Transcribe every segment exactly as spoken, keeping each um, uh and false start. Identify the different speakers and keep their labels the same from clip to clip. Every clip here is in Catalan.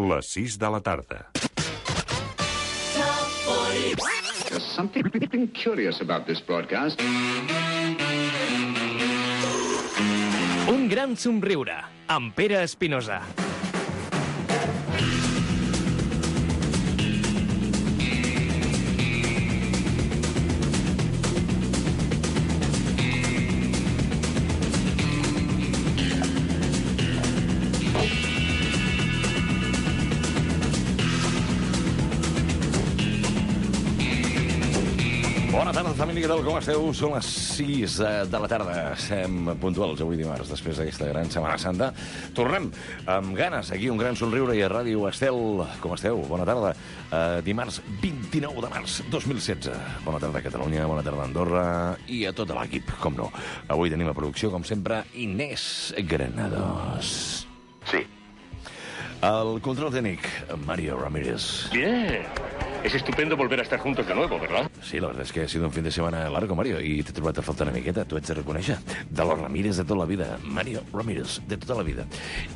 Speaker 1: Les sis de la tarda.
Speaker 2: There's something curious about this broadcast.
Speaker 3: Un gran somriure, amb Pere Espinosa.
Speaker 4: Bona tarda, família, què tal, com esteu? Són les sis de la tarda. Estem puntuals avui dimarts, després d'aquesta gran Setmana Santa. Tornem amb ganes, aquí un gran somriure i a Ràdio Estel. Com esteu? Bona tarda. Uh, dimarts vint-i-nou de març dos mil setze. Bona tarda a Catalunya, bona tarda a Andorra i a tot l'equip, com no. Avui tenim a producció, com sempre, Inés Granados.
Speaker 5: Sí.
Speaker 4: El control tècnic, Mario Ramírez.
Speaker 5: Bien. Es estupendo volver a estar juntos de nuevo, ¿verdad?
Speaker 4: Sí, la verdad es que ha sido un fin de semana largo, Mario, i t'he trobat a faltar una miqueta, t'ho haig de reconèixer. De los Ramírez de tota la vida, Mario Ramírez de tota la vida.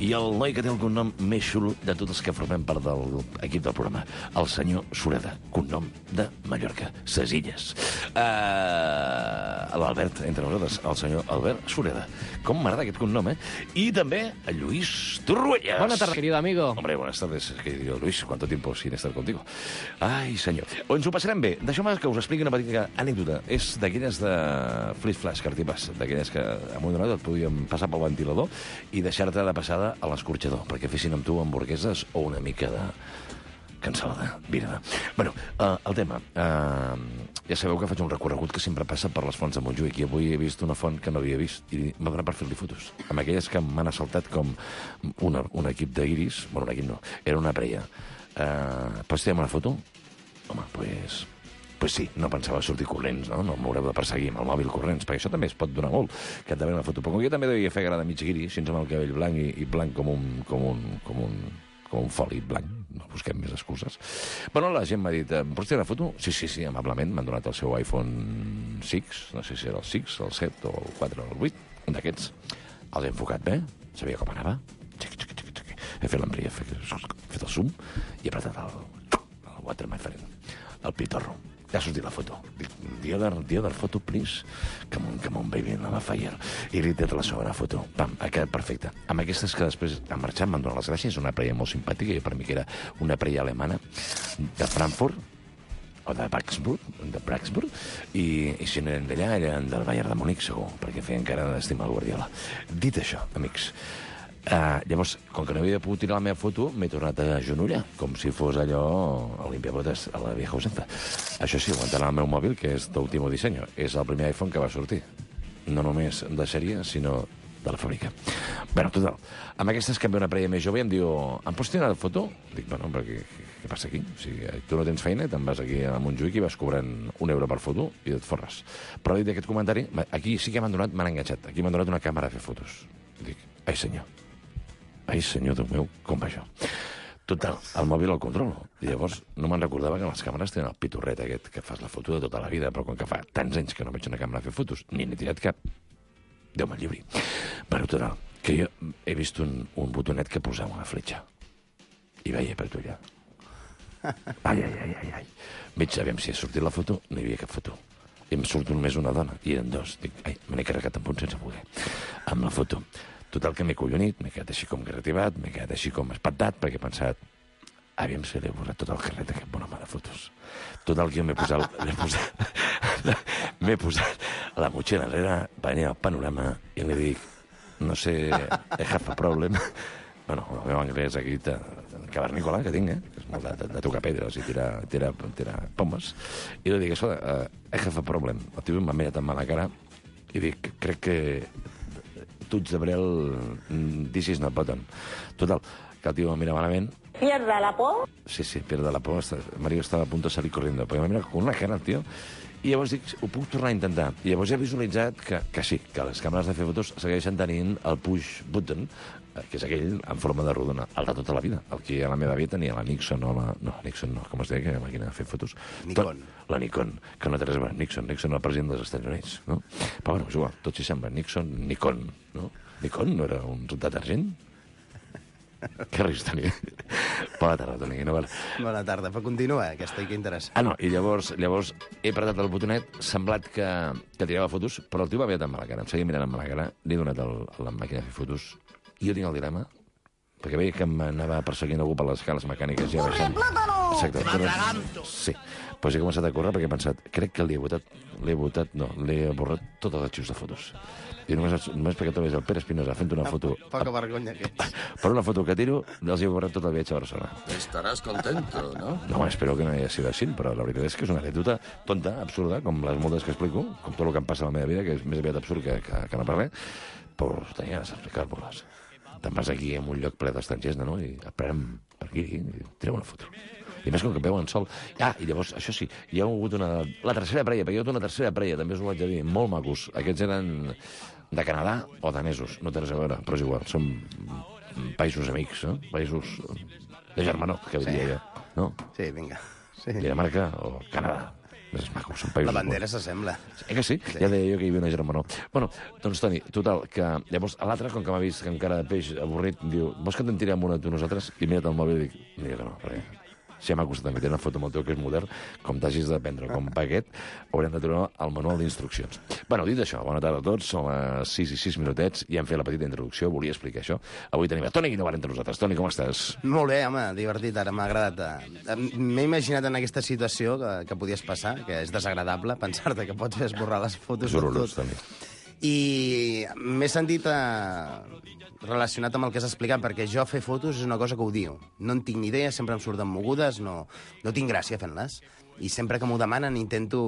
Speaker 4: I el noi que té el cognom més xulo de tots els que formem part de l'equip del programa, el senyor Sureda, cognom de Mallorca, ses Illes. Uh, L'Albert, entre nosaltres, el senyor Albert Sureda. Com m'agrada aquest cognom, eh? I també el Lluís Torruelles.
Speaker 3: Buenas tardes, querido amigo.
Speaker 4: Hombre, buenas tardes, querido Luis. ¿Cuánto tiempo sin estar contigo? Ai, senyor. O ens ho passarem bé. Deixeu-me que us expliqui una petita anècdota. És d'aquelles de flash-flash, cartipàs, d'aquelles que a un donat et podíem passar pel ventilador i deixar-te de passada a l'escorxador, perquè fessin amb tu hamburgueses o una mica de cansalada, virada. Bueno, uh, el tema. Uh, ja sabeu que faig un recorregut que sempre passa per les fonts de Montjuïc i avui he vist una font que no havia vist i m'ha donat per fer-li fotos. Amb aquelles que m'han assaltat com una, un equip d'Iris, bueno, un equip no, era una preia. Uh, pots tirar una foto? Home, pues, pues sí, no pensava sortir corrents, no? No m'haureu de perseguir amb el mòbil corrents, perquè això també es pot donar molt, que et devia una foto. Però com jo també devia fer gra de mig guiri, així amb el cabell blanc i, i blanc com un, com un, com un, com un foli blanc, no busquem més excuses. Bueno, la gent m'ha dit, pots tirar una foto? Sí, sí, sí, amablement, m'han donat el seu iPhone sis, no sé si era el sis, el set o el quatre o el vuit, un d'aquests. Els he enfocat bé, sabia com anava. Xic, xic, xic, xic. He fet l'embria, he fet el zoom i he apretat el, el water, my friend, el pitorro. Ja ha sortit la foto. Dic, the other, the other photo, please. Come on, come on, baby, on the fire. I li he tret la segona foto. Pam, ha quedat perfecte. Amb aquestes que després han marxat, m'han donat les gràcies. Una preia molt simpàtica, i per mi que era una preia alemana de Frankfurt, o de Braxburg, de Braxburg, i, i si no eren d'allà, eren del Bayern de Múnich, segur, perquè feien cara d'estimar el Guardiola. Dit això, amics, Uh, llavors, com que no havia pogut tirar la meva foto, m'he tornat a genollar, com si fos allò a limpiabotes, a la vieja usenza. Això sí, aguantant el meu mòbil, que és d'último disseny. És el primer iPhone que va sortir. No només de sèrie, sinó de la fàbrica. Bé, total, amb aquestes que em ve una preia més jove i em diu, em pots tirar la foto? Dic, bueno, però què, què passa aquí? O sigui, tu no tens feina, te'n vas aquí a Montjuïc i vas cobrant un euro per foto i et forres. Però dit aquest comentari, aquí sí que m'han donat, m'han enganxat. Aquí m'han donat una càmera a fer fotos. Dic, ai senyor. Ai, senyor Déu meu, com va això? Total, el mòbil el controlo. I llavors no me'n recordava que les càmeres tenen el pitorret aquest, que fas la foto de tota la vida, però com que fa tants anys que no veig una càmera a fer fotos, ni n'he tirat cap, Déu me'n lliuri. Però total, que jo he vist un, un botonet que posava una fletxa. I veia per tu allà. Ai, ai, ai, ai, ai. Veig, aviam si ha sortit la foto, no hi havia cap foto. I em surt només una dona, i eren dos. Dic, ai, me n'he carregat en punt sense voler. Amb la foto. Total, que m'he collonit, m'he quedat així com garrativat, m'he quedat així com espantat, perquè he pensat, aviam si li he borrat tot el carret aquest bon home de fotos. Total, que jo m'he posat, m'he posat, m'he posat la motxilla enrere, venia al panorama, i li dic, no sé, I have a problem. Bueno, el meu anglès aquí, cavernícola, que tinc, eh? És molt de, de, de tocar pedres i tirar, tirar, tirar pomes. I li dic, això, uh, I have a problem. El tio m'ha mirat amb mala cara i dic, crec que Tuts de Brel, this is not button. Total, que el tio em mira malament.
Speaker 6: ¿Pierda la por?
Speaker 4: Sí, sí, pierda la por. Mario estava a punt de salir corriendo. Perquè em mira con una cara, el tio. I llavors dic, ho puc tornar a intentar. I llavors he visualitzat que, que sí, que les càmeres de fer fotos segueixen tenint el push button, que és aquell en forma de rodona, el de tota la vida. El que a la meva vida tenia la Nixon o la... No, Nixon no, com es deia aquella màquina de fer fotos?
Speaker 7: Nikon.
Speaker 4: Tot, la Nikon, que no té res a veure. Nixon, Nixon, el president dels Estats Units, no? Però bueno, és igual, tot s'hi sembla. Nixon, Nikon, no? Nikon no era un detergent? Que ris tenia. Bona tarda, Toni. No val.
Speaker 1: Bona tarda, però continua, que estic interessant.
Speaker 4: Ah, no, i llavors, llavors he apretat el botonet, semblat que, que tirava fotos, però el tio m'havia tan mala cara, em seguia mirant amb mala cara, li he donat el, la màquina de fer fotos, i jo tinc el dilema, perquè veia que m'anava perseguint algú per les escales mecàniques ja baixant. Exacte. Però, sí, doncs he començat a córrer perquè he pensat, crec que l'he votat, l'he votat, no, l'he borrat tots els arxius de fotos. I només, només perquè trobés el Pere Espinosa fent una foto...
Speaker 1: Poca vergonya que ets.
Speaker 4: Per una foto que tiro, els he borrat tot el viatge a Barcelona.
Speaker 6: Estaràs contento, ¿no?
Speaker 4: No, espero que no hagi sigut així, però la veritat és que és una anècdota tonta, absurda, com les moltes que explico, com tot el que em passa a la meva vida, que és més aviat absurd que, que, que no parler, però tenia ganes d'explicar-vos-les. Te'n vas aquí en un lloc ple d'estrangers, no? I esperem per aquí, i tireu una foto. I més com que veuen sol. Ah, i llavors, això sí, hi ha hagut una... La tercera parella, perquè hi ha hagut una tercera parella, també us ho vaig dir, molt macos. Aquests eren de Canadà o danesos, no té res a veure, però és igual, són països amics, no? Països de germanor, que
Speaker 1: Sí.
Speaker 4: diria jo, no?
Speaker 1: Sí, vinga. Sí.
Speaker 4: Dinamarca o Canadà. És maco, són països...
Speaker 1: La bandera s'assembla.
Speaker 4: Eh que sí? sí? Ja deia jo que hi havia una germanor. Bueno, doncs, Toni, total, que llavors l'altre, com que m'ha vist que amb cara de peix avorrit, diu, vols que te'n tirem una tu nosaltres? I mira't el mòbil i dic, mira que no, perquè si m'ha costat també tenir una foto amb el teu que és modern, com t'hagis de prendre com paquet, haurem de trobar el manual d'instruccions. Bueno, dit això, bona tarda a tots, són les sis i sis minutets, i hem fet la petita introducció, volia explicar això. Avui tenim a Toni Guinovart entre nosaltres. Toni, com estàs?
Speaker 1: Molt bé, home, divertit, ara m'ha agradat. Eh, M'he imaginat en aquesta situació que, que podies passar, que és desagradable, pensar-te que pots fer esborrar les fotos
Speaker 4: És
Speaker 1: de
Speaker 4: horrorós,
Speaker 1: tot.
Speaker 4: Toni.
Speaker 1: I m'he sentit eh, relacionat amb el que has explicat, perquè jo fer fotos és una cosa que odio. No en tinc ni idea, sempre em surten mogudes, no, no tinc gràcia fent-les. I sempre que m'ho demanen intento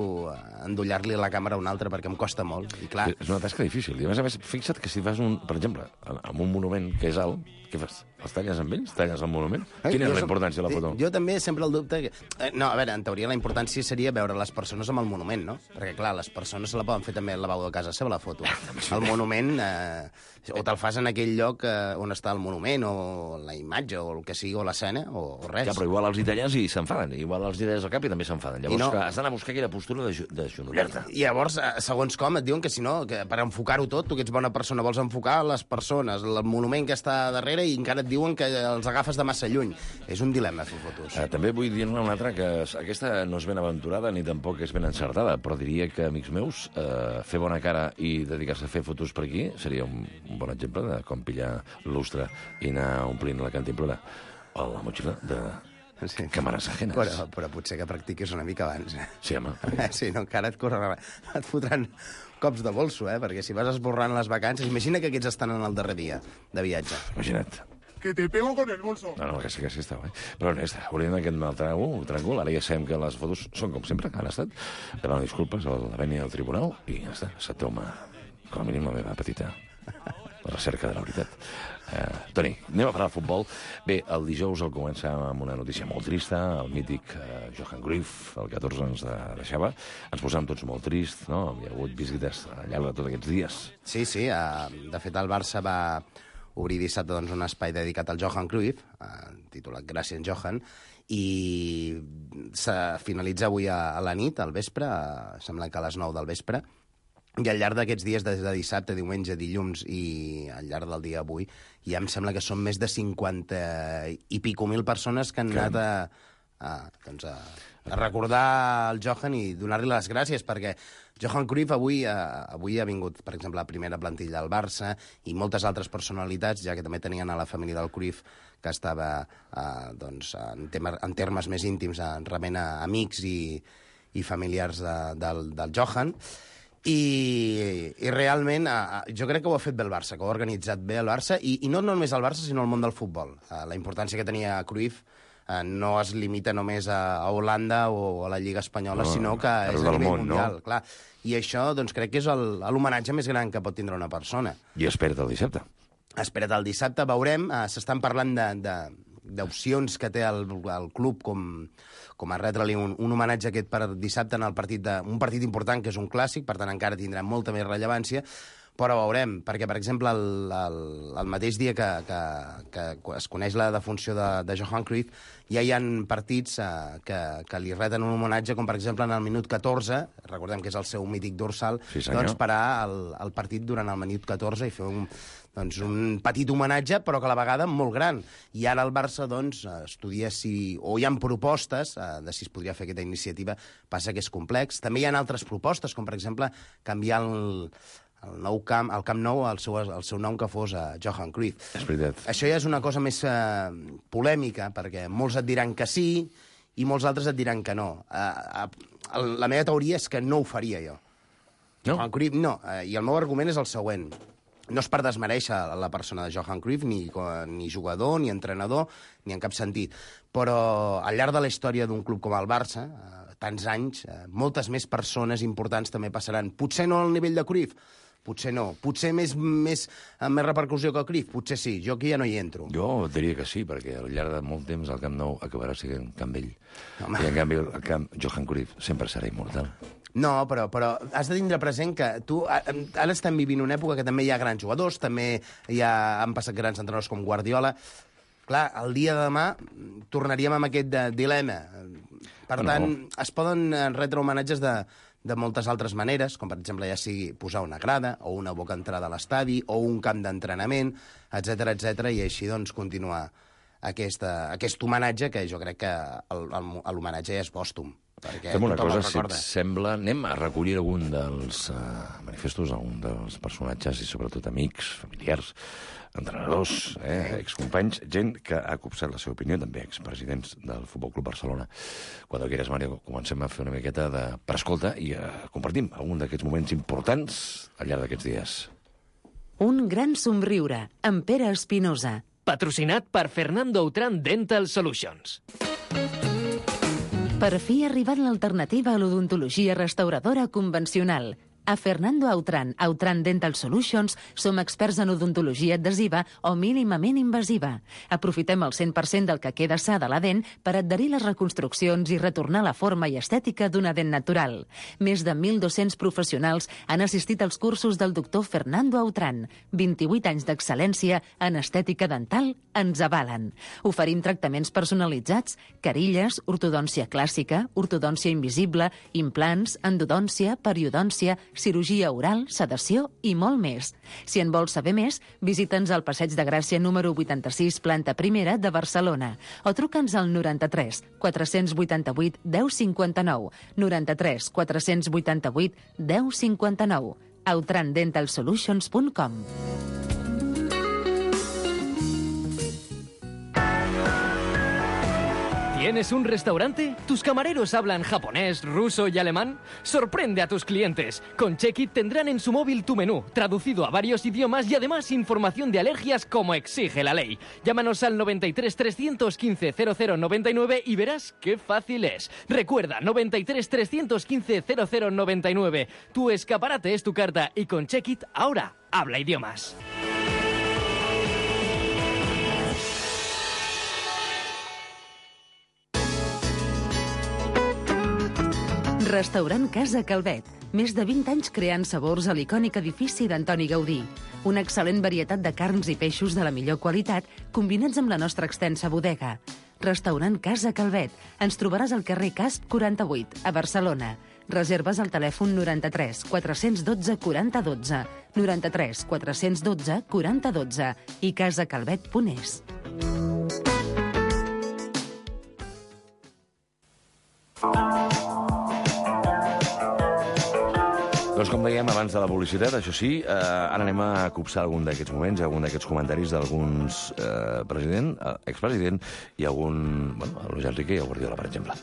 Speaker 1: endollar-li la càmera a un altre perquè em costa molt. I clar,
Speaker 4: És una tasca difícil. I a més a més, fixa't que si fas un, per exemple, amb un monument que és alt, què fas? Els talles amb ells? Talles el monument? Quina és
Speaker 1: Jo
Speaker 4: la
Speaker 1: som-
Speaker 4: importància de la foto?
Speaker 1: Jo també sempre el dubte... Que... eh, No, a veure, en teoria la importància seria veure les persones amb el monument, no? Perquè, clar, les persones se la poden fer també al lavabo de casa seva, la foto. El monument, eh, o te'l fas en aquell lloc eh, on està el monument, o la imatge, o el que sigui, o l'escena, o, o res.
Speaker 4: Ja, però igual els italians hi s'enfaden, igual els idees al cap i també s'enfaden. Llavors,
Speaker 1: no-
Speaker 4: que has d'anar a buscar aquella postura de, ju- de genollar-te.
Speaker 1: I llavors, eh, segons com, et diuen que si no, que per enfocar-ho tot, tu que ets bona persona, vols enfocar les persones, el monument que està darrere, i encara et diuen que els agafes de massa lluny. És un dilema, fer fotos.
Speaker 4: Eh, també vull dir-ne una altra, que s- aquesta no és ben aventurada ni tampoc és ben encertada, però diria que, amics meus, eh, fer bona cara i dedicar-se a fer fotos per aquí seria un, un bon exemple de com pillar lustre i anar omplint la cantimplora o la motxilla de
Speaker 1: Sí.
Speaker 4: càmeres ajenes.
Speaker 1: Però, però potser que practiquis una mica abans, eh?
Speaker 4: Sí, home.
Speaker 1: Eh, Sí, no, encara et corre... et fotran cops de bolso, eh? Perquè si vas esborrant les vacances... Imagina que aquests estan en el darrer dia de viatge.
Speaker 4: Imagina't.
Speaker 7: Que te pego con el bolso.
Speaker 4: No, no, que sí, que sí estava. Eh? Però honesta, volíem aquest mal tràngol, tràngol. Ara ja sabem que les fotos són com sempre, que han estat. Demano disculpes a la vènia del tribunal i ja està, se toma com a mínim la meva petita recerca de la veritat. Uh, Toni, anem a parlar de futbol. Bé, el dijous el començar amb una notícia molt trista. El mític uh, Johan Cruyff, el catorze ens de deixava. Ens posàvem tots molt trist, no? Hi ha hagut visites al llarg de tots aquests dies.
Speaker 1: Sí, sí, eh, de fet el Barça va obrir dissabte doncs, un espai dedicat al Johan Cruyff, eh, titulat Gràcies, Johan, i se finalitza avui a, a la nit, al vespre, eh, sembla que a les nou del vespre, i al llarg d'aquests dies, des de dissabte, diumenge, dilluns i al llarg del dia avui, ja em sembla que són més de cinquanta i pico mil persones que han
Speaker 4: Caram.
Speaker 1: anat a, a, doncs a, a recordar el Johan i donar-li les gràcies, perquè Johan Cruyff avui, eh, avui ha vingut, per exemple, a la primera plantilla del Barça i moltes altres personalitats, ja que també tenien a la família del Cruyff, que estava eh, doncs, en, tema, en termes més íntims, eh, rebent a amics i, i familiars de, del, del Johan. I, i realment eh, jo crec que ho ha fet bé el Barça, que ho ha organitzat bé el Barça, i, i no només el Barça, sinó el món del futbol. Eh, la importància que tenia Cruyff eh, no es limita només a, a Holanda o a la Lliga Espanyola,
Speaker 4: No,
Speaker 1: sinó que
Speaker 4: arreu
Speaker 1: és a
Speaker 4: del
Speaker 1: nivell
Speaker 4: món, no?
Speaker 1: mundial. Clar. I això doncs, crec que és el- l'homenatge més gran que pot tindre una persona.
Speaker 4: I espera't el dissabte.
Speaker 1: Espera't el dissabte, veurem. Eh, S'estan parlant de, de, d'opcions que té el, el club com, com a retre-li un, un homenatge aquest per dissabte en el partit de, un partit important que és un clàssic, per tant encara tindrà molta més rellevància, però veurem, perquè, per exemple, el, el, el mateix dia que, que, que es coneix la defunció de, de Johan Cruyff, ja hi ha partits eh, que, que li reten un homenatge, com per exemple en el minut catorze, recordem que és el seu mític dorsal,
Speaker 4: sí,
Speaker 1: doncs parar el, el partit durant el minut catorze i fer un, doncs, un petit homenatge, però que a la vegada molt gran. I ara el Barça doncs, estudia si... o hi ha propostes eh, de si es podria fer aquesta iniciativa, passa que és complex. També hi ha altres propostes, com per exemple canviar el... el nou camp, el Camp Nou, el seu, el seu nom que fos a Johan Cruyff.
Speaker 4: És veritat.
Speaker 1: Això ja és una cosa més eh, polèmica, perquè molts et diran que sí i molts altres et diran que no. Eh, eh, la meva teoria és que no ho faria jo.
Speaker 4: No?
Speaker 1: Johan Cruyff, no. Eh, I el meu argument és el següent. No és per desmereixer la persona de Johan Cruyff, ni, ni jugador, ni entrenador, ni en cap sentit. Però al llarg de la història d'un club com el Barça, eh, tants anys, eh, moltes més persones importants també passaran. Potser no al nivell de Cruyff, potser no. Potser més, més, amb més repercussió que el Cruyff, potser sí. Jo aquí ja no hi entro.
Speaker 4: Jo diria que sí, perquè al llarg de molt temps el Camp Nou acabarà sent Camp Vell.
Speaker 1: Home.
Speaker 4: I en canvi el Camp Johan Cruyff sempre serà immortal.
Speaker 1: No, però, però has de tindre present que tu... Ara estem vivint una època que també hi ha grans jugadors, també hi ha, han passat grans entrenadors com Guardiola. Clar, el dia de demà tornaríem amb aquest dilema. Per
Speaker 4: no.
Speaker 1: tant, es poden retre homenatges de, de moltes altres maneres, com per exemple ja sigui posar una grada o una boca entrada a l'estadi o un camp d'entrenament, etcètera, etcètera, i així doncs continuar aquesta, aquest homenatge que jo crec que l'homenatge ja és pòstum.
Speaker 4: Fem una cosa, si et sembla, anem a recollir algun dels uh, manifestos, algun dels personatges i sobretot amics, familiars, entrenadors, eh, excompanys, gent que ha copsat la seva opinió, també expresidents del Futbol Club Barcelona. Quan quieras, Mario, comencem a fer una miqueta de prescolta i uh, compartim algun d'aquests moments importants al llarg d'aquests dies.
Speaker 8: Un gran somriure, amb Pere Espinosa.
Speaker 3: Patrocinat per Fernando Autran Dental Solutions.
Speaker 8: Per fi ha arribat l'alternativa a l'odontologia restauradora convencional. A Fernando Autran, Autran Dental Solutions, som experts en odontologia adhesiva o mínimament invasiva. Aprofitem el cent per cent del que queda sa de la dent per adherir les reconstruccions i retornar la forma i estètica d'una dent natural. Més de mil dos-cents professionals han assistit als cursos del doctor Fernando Autran. vint-i-vuit anys d'excel·lència en estètica dental ens avalen. Oferim tractaments personalitzats, carilles, ortodòncia clàssica, ortodòncia invisible, implants, endodòncia, periodòncia, cirurgia oral, sedació i molt més. Si en vols saber més, visita'ns al Passeig de Gràcia número vuitanta-sis, planta primera de Barcelona, o truca'ns al noranta-tres quatre-cents vuitanta-vuit deu cinquanta-nou, noranta-tres quatre-cents vuitanta-vuit deu cinquanta-nou, autran dental solutions punt com.
Speaker 3: ¿Tienes un restaurante? ¿Tus camareros hablan japonés, ruso y alemán? Sorprende a tus clientes. Con Check-It tendrán en su móvil tu menú, traducido a varios idiomas y además información de alergias como exige la ley. Llámanos al noventa y tres trescientos quince cero cero noventa y nueve y verás qué fácil es. Recuerda, noventa y tres trescientos quince cero cero noventa y nueve. Tu escaparate es tu carta y con Check-It ahora habla idiomas.
Speaker 8: Restaurant Casa Calvet. Més de vint anys creant sabors a l'icònic edifici d'Antoni Gaudí. Una excel·lent varietat de carns i peixos de la millor qualitat, combinats amb la nostra extensa bodega. Restaurant Casa Calvet. Ens trobaràs al carrer Casp quaranta-vuit, a Barcelona. Reserves al telèfon noranta-tres quatre-cents dotze quaranta dotze, noranta-tres quatre-cents dotze quaranta dotze i casacalvet punt es.
Speaker 4: Doncs com dèiem abans de la publicitat, això sí, eh, ara anem a copsar algun d'aquests moments, algun d'aquests comentaris d'alguns eh, president, eh, expresident i algun, bueno, a Luis Enrique i a Guardiola, per exemple.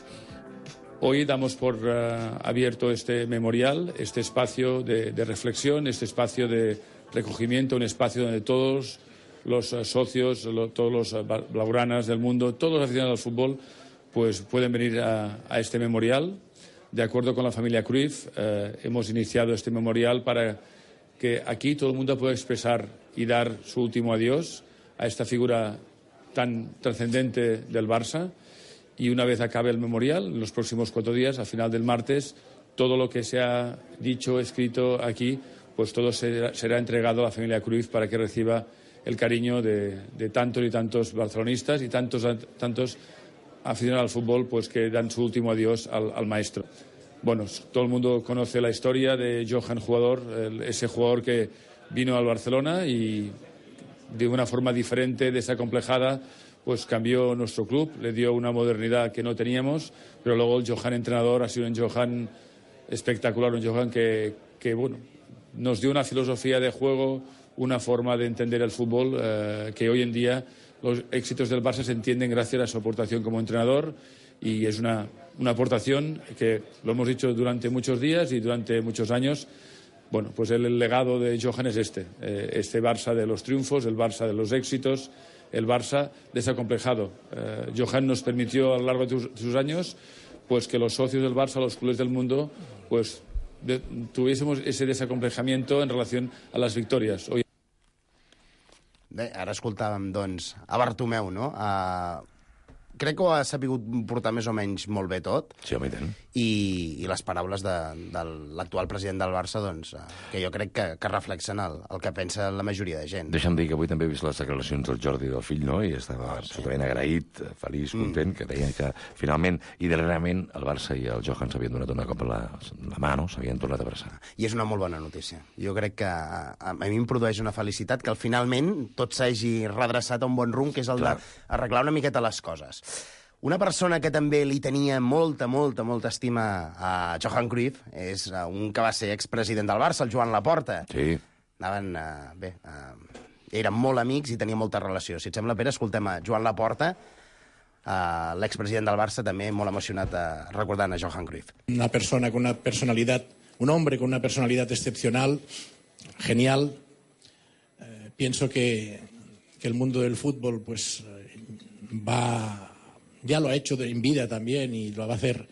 Speaker 9: Hoy damos por uh, abierto este memorial, este espacio de, de reflexión, este espacio de recogimiento, un espacio donde todos los uh, socios, lo, todos los uh, blaugranas del mundo, todos los aficionados al fútbol, pues pueden venir a, a este memorial. De acuerdo con la familia Cruyff, eh, hemos iniciado este memorial para que aquí todo el mundo pueda expresar y dar su último adiós a esta figura tan trascendente del Barça. Y una vez acabe el memorial, en los próximos cuatro días, al final del martes, todo lo que se ha dicho, escrito aquí, pues todo será, será entregado a la familia Cruyff para que reciba el cariño de, de tantos y tantos barcelonistas y tantos, tantos aficionados al fútbol, pues que dan su último adiós al, al maestro. Bueno, todo el mundo conoce la historia de Johan, jugador, el, ese jugador que vino al Barcelona y de una forma diferente, desacomplejada, pues cambió nuestro club, le dio una modernidad que no teníamos, pero luego el Johan entrenador ha sido un Johan espectacular, un Johan que, que bueno, nos dio una filosofía de juego, una forma de entender el fútbol eh, que hoy en día los éxitos del Barça se entienden gracias a su aportación como entrenador, y es una, una aportación que lo hemos dicho durante muchos días y durante muchos años. Bueno, pues el, el legado de Johan es este, eh, este Barça de los triunfos, el Barça de los éxitos, el Barça desacomplejado. Eh, Johan nos permitió a lo largo de, tus, de sus años pues que los socios del Barça, los clubes del mundo, pues de, tuviésemos ese desacomplejamiento en relación a las victorias. Hoy...
Speaker 1: Bé, ara escoltàvem, doncs, a Bartomeu, no? Uh, crec que ho ha sapigut portar més o menys molt bé tot.
Speaker 4: Sí, home, i tant.
Speaker 1: I, i les paraules de, de l'actual president del Barça, doncs, uh, que jo crec que, que reflexen el, el que pensa la majoria de gent.
Speaker 4: Deixa'm dir que avui també he vist les declaracions del Jordi del fill, no? I estava absolutament agraït, feliç, content, mm. que deia que finalment i darrerament el Barça i el Johan s'havien donat una cop a la, la mà, no? S'havien tornat a abraçar.
Speaker 1: I és una molt bona notícia. Jo crec que a, a mi em produeix una felicitat que al finalment tot s'hagi redreçat a un bon rumb, que és el d'arreglar una miqueta les coses. Una persona que també li tenia molta, molta, molta estima a Johan Cruyff és un que va ser expresident del Barça, el Joan Laporta.
Speaker 4: Sí.
Speaker 1: Anaven, uh, bé, uh, eren molt amics i tenien molta relació. Si et sembla, Pere, escoltem a Joan Laporta, uh, l'expresident del Barça, també molt emocionat uh, recordant a Johan Cruyff.
Speaker 10: Una persona con una personalidad, un hombre con una personalidad excepcional, genial. Eh, pienso que, que el mundo del fútbol pues va... ya lo ha hecho en vida también y lo va a hacer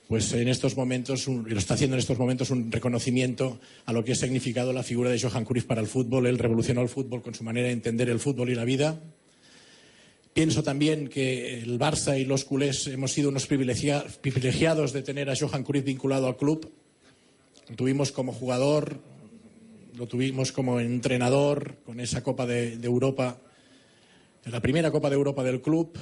Speaker 10: pues en estos momentos, un, y lo está haciendo en estos momentos, un reconocimiento a lo que ha significado la figura de Johan Cruyff para el fútbol. Él revolucionó el fútbol con su manera de entender el fútbol y la vida. Pienso también que el Barça y los culés hemos sido unos privilegiados de tener a Johan Cruyff vinculado al club. Lo tuvimos como jugador, lo tuvimos como entrenador, con esa Copa de, de Europa, la primera Copa de Europa del club,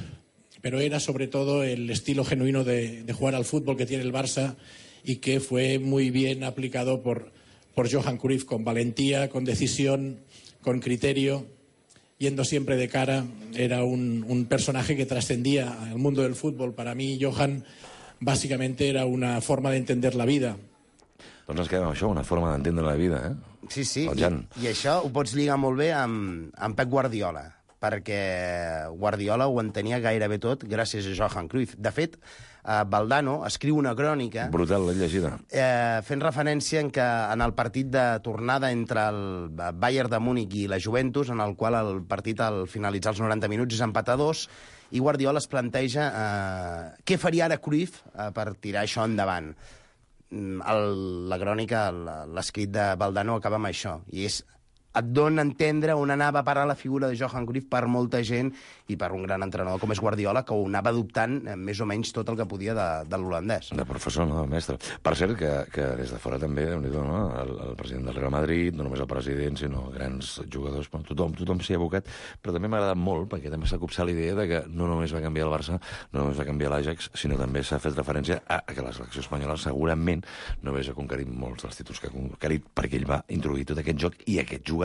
Speaker 10: pero era sobre todo el estilo genuino de, de jugar al fútbol que tiene el Barça y que fue muy bien aplicado por, por Johan Cruyff, con valentía, con decisión, con criterio, yendo siempre de cara. Era un, un personaje que trascendía al mundo del fútbol. Para mí, Johan, básicamente era una forma de entender la vida.
Speaker 4: Doncs ens quedem amb això, una forma d'entendre la vida, eh?
Speaker 1: Sí, sí, I, i això ho pots lligar molt bé amb, amb Pep Guardiola, perquè Guardiola ho entenia gairebé tot gràcies a Johan Cruyff. De fet, eh, Valdano escriu una crònica...
Speaker 4: Brutal, l'he llegida.
Speaker 1: Eh, fent referència en que en el partit de tornada entre el Bayern de Múnich i la Juventus, en el qual el partit al finalitzar els noranta minuts és empatar dos, i Guardiola es planteja eh, què faria ara Cruyff eh, per tirar això endavant. El, la crònica, l'escrit de Valdano acaba amb això, i és et dona a entendre on anava a parar la figura de Johan Cruyff per molta gent i per un gran entrenador com és Guardiola, que ho anava adoptant més o menys tot el que podia de, de l'holandès.
Speaker 4: De professor, no, del mestre. Per cert, que, que des de fora també, déu-n'hi-do, no? El, el president del Real Madrid, no només el president, sinó grans jugadors, bueno, tothom, tothom s'hi ha abocat, però també m'ha agradat molt, perquè també s'ha copsat la idea de que no només va canviar el Barça, no només va canviar l'Ajax, sinó també s'ha fet referència a, a que la selecció espanyola segurament no hagués conquerit molts dels títols que ha conquerit, perquè ell va introduir tot aquest joc i aquests jugadors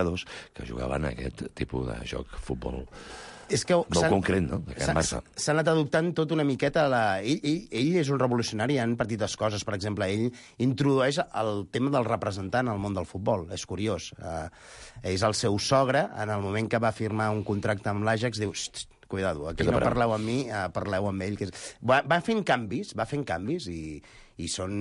Speaker 4: que jugaven aquest tipus de joc, futbol...
Speaker 1: És que
Speaker 4: no concret, no?
Speaker 1: S'ha anat adoptant tot una miqueta... La... Ell, ell, ell és un revolucionari en petites coses. Per exemple, ell introdueix el tema del representant al món del futbol. És curiós. Uh, és el seu sogre, en el moment que va firmar un contracte amb l'Ajax, diu... Cuidado, aquí no parleu amb mi, uh, parleu amb ell. Que és... va, va fent canvis, va fent canvis i, i són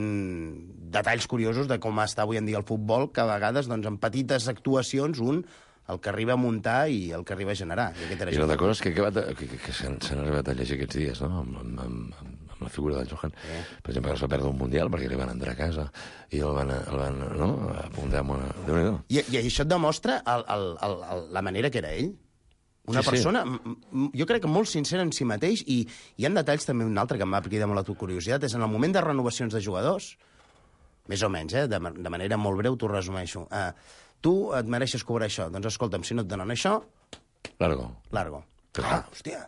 Speaker 1: detalls curiosos de com està avui en dia el futbol, que a vegades, doncs, en petites actuacions, un el que arriba a muntar i el que arriba a generar. I,
Speaker 4: I una de coses que, que, que, que, que s'han arribat a llegir aquests dies, no?, amb, amb, amb, amb la figura del Johan. Eh. Per exemple, que es va perdre un Mundial perquè li van entrar a casa i el van, el van no?, apuntar amb una...
Speaker 1: I, I això et demostra el, el, el, el, la manera que era ell. Una sí, persona, sí. Jo crec que molt sincera en si mateix, i hi ha detalls també, un altre que em va cridar molt la tua curiositat, és en el moment de renovacions de jugadors, més o menys, eh? de, de manera molt breu t'ho resumeixo. Uh, tu et mereixes cobrar això. Doncs escolta'm, si no et donen això...
Speaker 4: Largo.
Speaker 1: Largo.
Speaker 4: Ah,
Speaker 1: hòstia.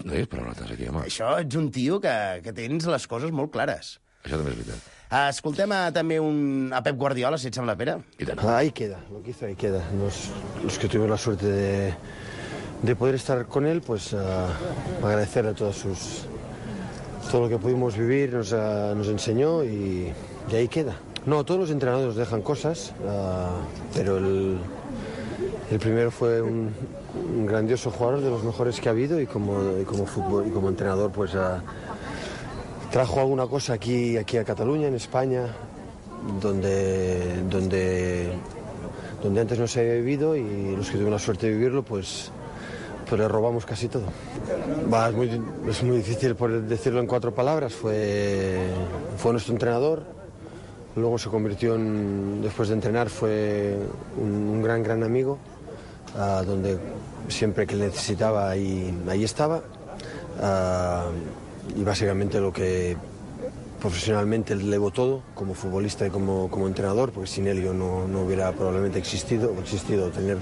Speaker 4: No diguis parauletes aquí, home.
Speaker 1: Això ets un tio que, que tens les coses molt clares.
Speaker 4: Això també és veritat.
Speaker 1: Uh, escoltem a, també un, a Pep Guardiola, si et sembla, Pere.
Speaker 11: Ahí queda, lo que hizo ahí queda. Los, los que tuvimos la suerte de, de poder estar con él, pues uh, agradecerle a todos sus... Todo lo que pudimos vivir nos, uh, nos enseñó y, y ahí queda. No, todos los entrenadores nos dejan cosas, uh, pero el, el primero fue un, un grandioso jugador, de los mejores que ha habido, y como, y como, fútbol, y como entrenador, pues... Uh, Trajo alguna cosa aquí, aquí a Cataluña, en España, donde, donde, donde antes no se había vivido, y los que tuvieron la suerte de vivirlo, pues, pues le robamos casi todo. Va, es, muy, es muy difícil por decirlo en cuatro palabras. Fue, fue nuestro entrenador, luego se convirtió en, después de entrenar, fue un, un gran, gran amigo, uh, donde siempre que le necesitaba ahí, ahí estaba. Uh, y básicamente lo que profesionalmente le debo todo, como futbolista y como, como entrenador, porque sin él yo no, no hubiera probablemente existido, existido tener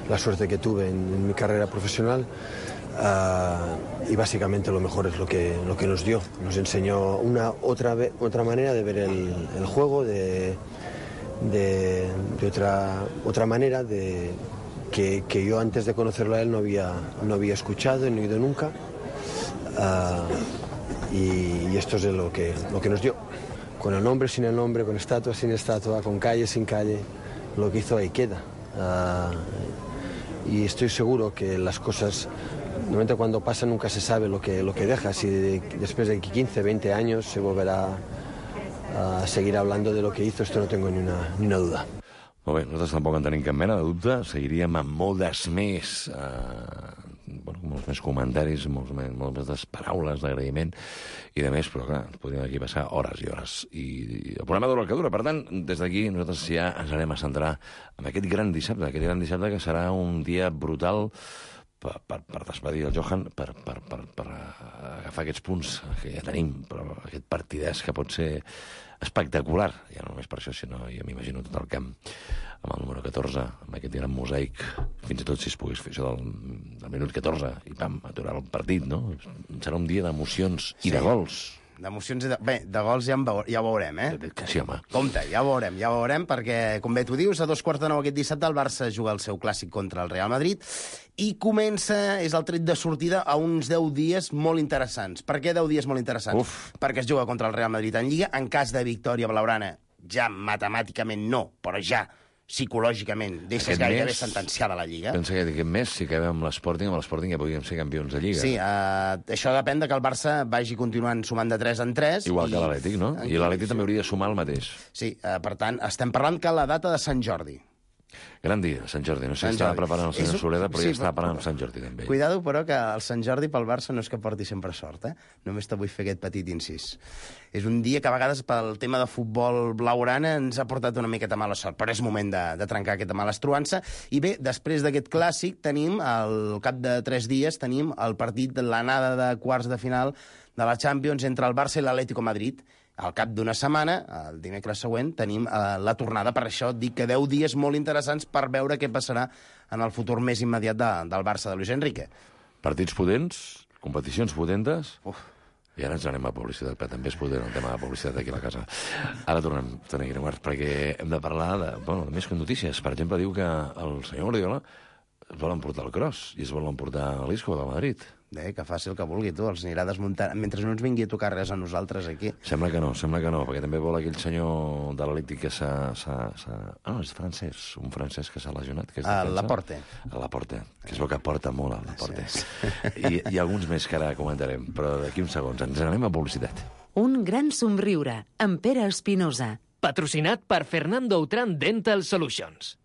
Speaker 11: la suerte que tuve en, en mi carrera profesional. Uh, y básicamente lo mejor es lo que, lo que nos dio. Nos enseñó una otra, otra manera de ver el, el juego, de, de, de otra, otra manera de, que, que yo antes de conocerlo a él no había, no había escuchado ni oído nunca. Uh, y, y esto es lo que, lo que nos dio. Con el nombre, sin el nombre, con estatua, sin estatua, con calle, sin calle, lo que hizo ahí queda. Uh, y estoy seguro que las cosas, normalmente cuando pasan nunca se sabe lo que, lo que deja. Si de, después de quince, veinte años se volverá a seguir hablando de lo que hizo, esto no tengo ni una, ni una duda.
Speaker 4: Molt bé, nosaltres tampoc en tenim cap mena de dubte. Seguiríem amb moltes més... Uh... Bueno, molts més comentaris, molts més, moltes més paraules d'agraïment i de més, però clar, podríem aquí passar hores i hores. I, i el programa dura el que dura. Per tant, des d'aquí nosaltres ja ens anem a centrar en aquest gran dissabte, aquest gran dissabte que serà un dia brutal per, per, per despedir el Johan, per, per, per, per agafar aquests punts que ja tenim, però aquest partidès que pot ser espectacular, ja no només per això, sinó jo m'imagino tot el camp amb el número catorze, amb aquest gran mosaic, fins i tot si es pogués fer això del, del minut catorze, i pam, aturar el partit, no? Serà un dia d'emocions i sí, de gols.
Speaker 1: D'emocions i de... Bé, de gols ja, veu... ja ho veurem, eh?
Speaker 4: Que sí, home.
Speaker 1: Compte, ja ho veurem, ja ho veurem, perquè, com bé tu dius, a dos quarts de nou aquest dissabte el Barça juga el seu clàssic contra el Real Madrid i comença, és el tret de sortida, a uns deu dies molt interessants. Per què deu dies molt interessants?
Speaker 4: Uf.
Speaker 1: Perquè es juga contra el Real Madrid en Lliga, en cas de victòria blaugrana, ja matemàticament no, però ja psicològicament deixes
Speaker 4: aquest
Speaker 1: gairebé
Speaker 4: mes,
Speaker 1: sentenciada la Lliga.
Speaker 4: Pensa que aquest mes, si acabem amb l'Sporting, amb l'Sporting ja podríem ser campions de Lliga.
Speaker 1: Sí, uh, això depèn de que el Barça vagi continuant sumant de tres en tres.
Speaker 4: Igual
Speaker 1: i...
Speaker 4: que l'Atlètic, no? I l'Atlètic també hauria de sumar el mateix.
Speaker 1: Sí, uh, per tant, estem parlant que la data de Sant Jordi.
Speaker 4: Gran dia, Sant Jordi. No sé si estava preparant el senyor Soleda, però sí, ja estava parlant amb Sant Jordi també.
Speaker 1: Cuidado, però, que el Sant Jordi pel Barça no és que porti sempre sort, eh? Només te vull fer aquest petit incís. És un dia que a vegades pel tema de futbol blaugrana ens ha portat una miqueta mala sort, però és moment de, de trencar aquesta mala estruança. I bé, després d'aquest clàssic tenim, al cap de tres dies, tenim el partit de l'anada de quarts de final de la Champions entre el Barça i l'Atlético Madrid. Al cap d'una setmana, el dimecres següent, tenim eh, la tornada. Per això dic que deu dies molt interessants per veure què passarà en el futur més immediat de, del Barça de Luis Enrique.
Speaker 4: Partits potents, competicions potentes...
Speaker 1: Uf.
Speaker 4: I ara ens anem a publicitat, però també és potent el tema de publicitat aquí a la casa. Ara tornem, Toni Guineguart, perquè hem de parlar de, bueno, de més que notícies. Per exemple, diu que el senyor Guardiola es vol emportar el cross i es vol emportar l'Isco de Madrid.
Speaker 1: Bé, que faci el que vulgui, tu, els anirà desmuntant. Mentre no ens vingui a tocar res a nosaltres aquí.
Speaker 4: Sembla que no, sembla que no, perquè també vol aquell senyor de l'Atlètic que s'ha... Ah, no, és francès, un francès que s'ha lesionat. Que és
Speaker 1: a Laporte.
Speaker 4: A Laporte, que es veu que porta molt a Laporte. Sí, sí. I, I alguns més que ara comentarem, però d'aquí uns segons ens anem a publicitat.
Speaker 8: Un gran somriure, amb Pere Espinosa.
Speaker 3: Patrocinat per Fernando Outram Dental Solutions.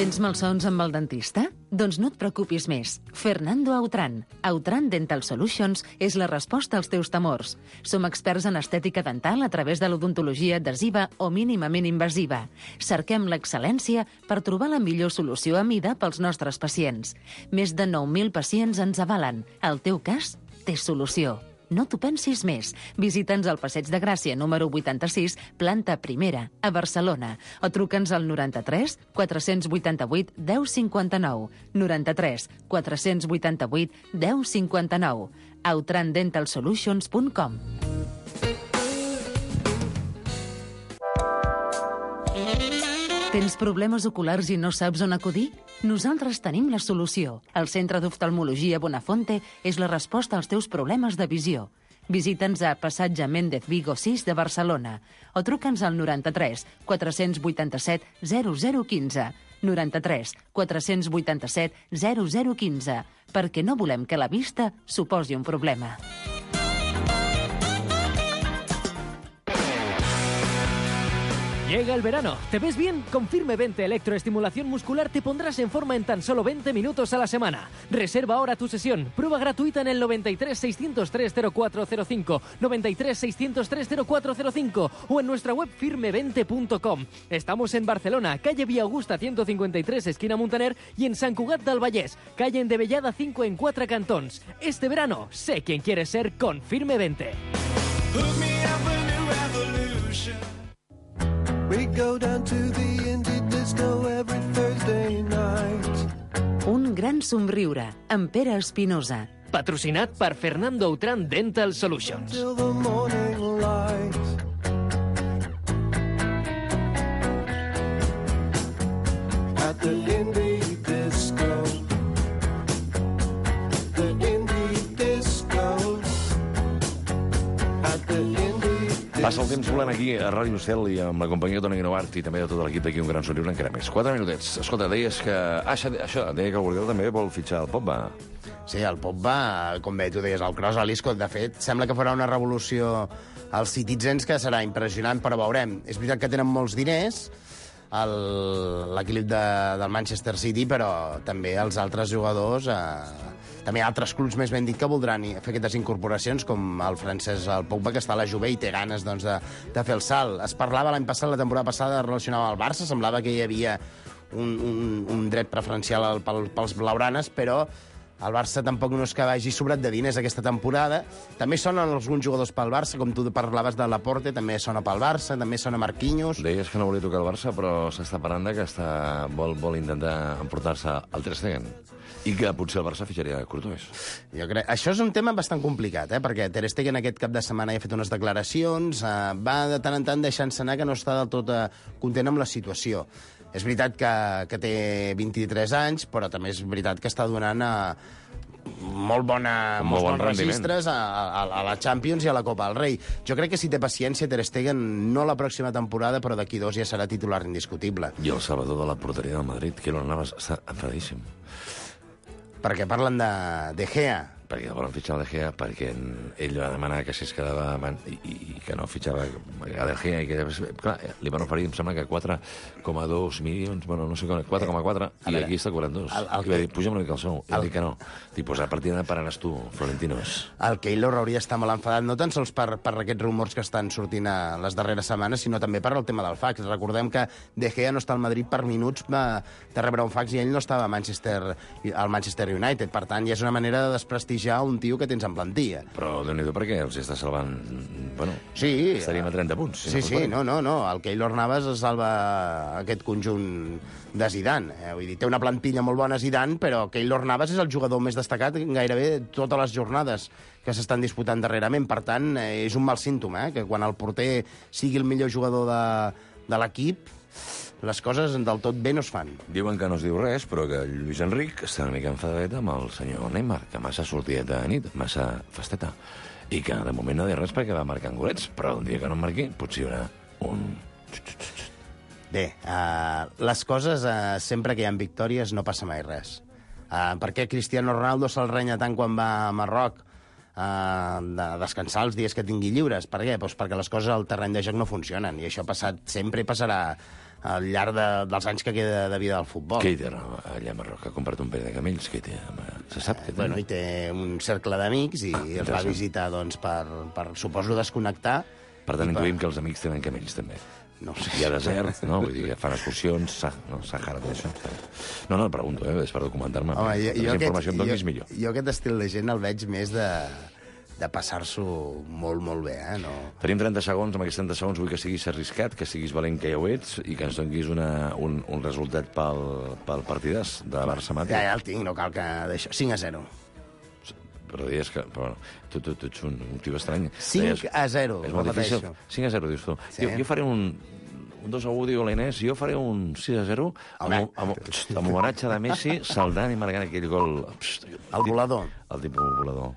Speaker 8: Tens malsons amb el dentista? Doncs no et preocupis més. Fernando Outram, Outram Dental Solutions, és la resposta als teus temors. Som experts en estètica dental a través de l'odontologia adhesiva o mínimament invasiva. Cerquem l'excel·lència per trobar la millor solució a mida pels nostres pacients. Més de nou mil pacients ens avalen. El teu cas té solució. No t'ho pensis més. Visita'ns al Passeig de Gràcia, número vuitanta-sis, planta primera, a Barcelona. O truca'ns al noranta-tres quatre-cents vuitanta-vuit deu cinquanta-nou. noranta-tres quatre-cents vuitanta-vuit deu cinquanta-nou. autran dental solutions punt com. Tens problemes oculars i no saps on acudir? Nosaltres tenim la solució. El Centre d'Oftalmologia Bonafonte és la resposta als teus problemes de visió. Visita'ns a Passatge Méndez Vigo sis de Barcelona o truca'ns al noranta-tres quatre-cents vuitanta-set zero zero quinze. noranta-tres quatre-cents vuitanta-set zero zero quinze. Perquè no volem que la vista suposi un problema.
Speaker 3: Llega el verano. ¿Te ves bien? Con Firme veinte Electroestimulación Muscular te pondrás en forma en tan solo veinte minutos a la semana. Reserva ahora tu sesión. Prueba gratuita en el noventa y tres seiscientos tres cero cuatro cero cinco, noventa y tres seiscientos tres cero cuatro cero cinco o en nuestra web firme veinte punto com. Estamos en Barcelona, calle Vía Augusta ciento cincuenta y tres, esquina Muntaner, y en Sant Cugat del Vallès, calle Endevellada cinco en Quatre Cantons. Este verano, sé quién quieres ser con Firme veinte.
Speaker 12: We go down to the indie disco every Thursday night.
Speaker 8: Un gran somriure, amb Pere Espinosa.
Speaker 3: Patrocinat per Fernando Autran Dental Solutions.
Speaker 12: Till the morning light. At the indie disco. The indie disco. At the indie.
Speaker 4: Passa el temps volant aquí a Ràdio Cel i amb la companyia de Toni Guinovart i també de tot l'equip d'aquí un gran somriure encara més. Quatre minutets. Escolta, deies que... Ah, això, això deia que el Guardiola també vol fitxar el Pogba.
Speaker 1: Sí, el Pogba, com bé tu deies, el cross a l'Isco, de fet, sembla que farà una revolució als Citizens que serà impressionant, però veurem. És veritat que tenen molts diners, l'equip de, del Manchester City, però també els altres jugadors... Eh, també altres clubs, més ben dit, que voldran fer aquestes incorporacions, com el francès, el Pogba, que està a la Juve i té ganes doncs, de, de fer el salt. Es parlava l'any passat, la temporada passada, relacionada amb el Barça, semblava que hi havia un, un, un dret preferencial al, pel, pels blaugranes, però el Barça tampoc no és que vagi sobrat de diners aquesta temporada. També sonen alguns jugadors pel Barça, com tu parlaves de Laporte, també sona pel Barça, també sona Marquinhos.
Speaker 4: Deies que no volia tocar el Barça, però s'està parlant que està, vol, vol intentar emportar-se el Ter Stegen. I que potser el Barça fitxaria Courtois.
Speaker 1: Jo crec... Això és un tema bastant complicat, eh? Perquè Ter Stegen aquest cap de setmana ja ha fet unes declaracions, eh, va de tant en tant deixant-se anar que no està del tot eh, content amb la situació. És veritat que, que té vint-i-tres anys, però també és veritat que està donant eh, molt, bona, molts
Speaker 4: bon
Speaker 1: bons registres a, a, a la Champions i a la Copa del Rei. Jo crec que si té paciència, Ter Stegen, no la pròxima temporada, però d'aquí dos ja serà titular indiscutible.
Speaker 4: I el salvador de la porteria del Madrid, Keylor Navas, està enfadíssim.
Speaker 1: Perquè parlen de, de Gea.
Speaker 4: Perquè el volen fitxar el De Gea, perquè ell va demanar que si es quedava i, i, i que no fitxava a De Gea i que, clar, li van oferir, em sembla que quatre coma dos milions, bueno, no sé com, quatre coma quatre, i aquí està cobrant dos. El, el, I va dir, puja'm una mica el sou. I va dir que no. Dic, pues a partir de pararàs tu, Florentinos.
Speaker 1: El Keylor hauria d'estar molt enfadat, no tan sols per, per aquests rumors que estan sortint a les darreres setmanes, sinó també per el tema del fax. Recordem que De Gea no està al Madrid per minuts va, de rebre un fax i ell no estava a Manchester, al Manchester United. Per tant, ja és una manera de desprestigiar un tio que tens en plantilla.
Speaker 4: Però Déu-n'hi-do perquè els està salvant... Bueno,
Speaker 1: sí,
Speaker 4: estaríem a trenta punts.
Speaker 1: Si sí, no sí, no, no, no. El Keylor Navas salva aquest conjunt de Zidane. Eh? Vull dir, té una plantilla molt bona Zidane, però Keylor Navas és el jugador més destacat gairebé totes les jornades que s'estan disputant darrerament. Per tant, eh, és un mal símptoma, eh? Que quan el porter sigui el millor jugador de, de l'equip, les coses del tot bé no es fan.
Speaker 4: Diuen que no es diu res, però que Lluís Enric està una mica enfadat amb el senyor Neymar, que massa sortideta de nit, massa festeta, i que de moment no diu res perquè va marcant golets, però un dia que no marqui potser hi haurà un...
Speaker 1: Bé, uh, les coses, uh, sempre que hi ha victòries, no passa mai res. Uh, per què Cristiano Ronaldo se'l renya tant quan va a Marroc uh, de descansar els dies que tingui lliures? Per què? Pues perquè les coses al terreny de joc no funcionen, i això ha passat sempre i passarà al llarg de, dels anys que queda de vida del futbol.
Speaker 4: Què hi té allà a Marroc? Ha comprat un parell de camells? Què hi té? Se sap què té?
Speaker 1: Bueno, hi té un cercle d'amics i ah, els va visitar doncs, per, per, suposo, desconnectar.
Speaker 4: Per tant, intuïm
Speaker 1: per...
Speaker 4: que els amics tenen camells, també.
Speaker 1: No sé.
Speaker 4: Hi ha desert, no? Vull dir, fan excursions, sa, no? Sahara, d'això. No, no, et pregunto, eh? És per documentar-me.
Speaker 1: Home, jo, jo,
Speaker 4: informació
Speaker 1: aquest,
Speaker 4: em donis
Speaker 1: jo,
Speaker 4: millor.
Speaker 1: Jo aquest estil de gent el veig més de... de passar-s'ho molt, molt bé, eh? No...
Speaker 4: Tenim trenta segons, amb aquests trenta segons vull que siguis arriscat, que siguis valent que ja ho ets, i que ens donguis una, un, un resultat pel, pel partidàs de Barça-Madrid.
Speaker 1: Ja, ja el tinc, no cal que d'això. cinc a zero.
Speaker 4: Però deies que... Però, tu, tu, tu ets un, un tio estrany.
Speaker 1: cinc a zero,
Speaker 4: és molt difícil. cinc a zero, dius tu. Sí. Jo, jo faré un... Un dos a u, diu l'Inés, jo faré un sis a zero amb, amb, amb homenatge de Messi, saldant i marcant aquell gol.
Speaker 1: El volador.
Speaker 4: El tipus volador.